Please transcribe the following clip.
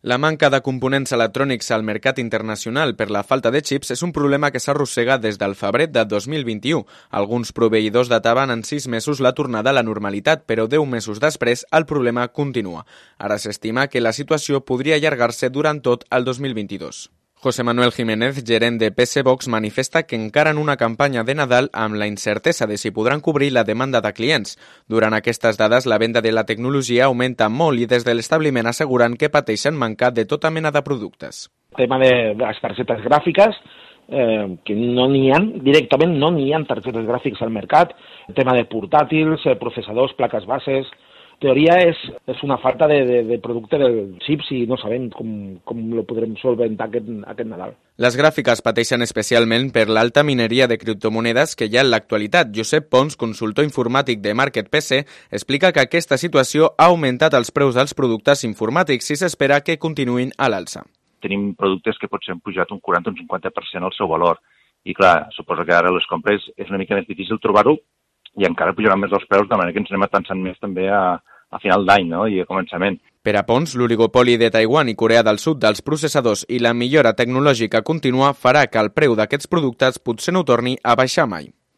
La manca de components electrònics al mercat internacional per la falta de xips és un problema que s'arrossega des del febrer de 2021. Alguns proveïdors dataven en 6 mesos la tornada a la normalitat, però 10 mesos després el problema continua. Ara s'estima que la situació podria allargar-se durant tot el 2022. José Manuel Jiménez, gerent de PC Box, manifesta que encara en una campanya de Nadal amb la incertesa de si podran cobrir la demanda de clients. Durant aquestes dades, la venda de la tecnologia augmenta molt i des de l'establiment asseguren que pateixen mancar de tota mena de productes. El tema de les targetes gràfiques, que no n'hi ha, directament no n'hi ha targetes gràfiques al mercat. El tema de portàtils, processadors, plaques bases. En teoria és una falta de producte del xips i no sabem com lo podrem solventar aquest Nadal. Les gràfiques pateixen especialment per l'alta mineria de criptomonedes que hi ha en l'actualitat. Josep Pons, consultor informàtic de Market PC, explica que aquesta situació ha augmentat els preus dels productes informàtics i s'espera que continuïn a l'alça. Tenim productes que potser han pujat un 40 o un 50% el seu valor. I clar, suposo que ara les compres és una mica més difícil trobar-ho i encara pujaran més els preus, de manera que ens anem atansant més també a final d'any, no? I a començament. Per a Pons, l'oligopoli de Taiwan i Corea del Sud dels processadors i la millora tecnològica contínua farà que el preu d'aquests productes potser no torni a baixar mai.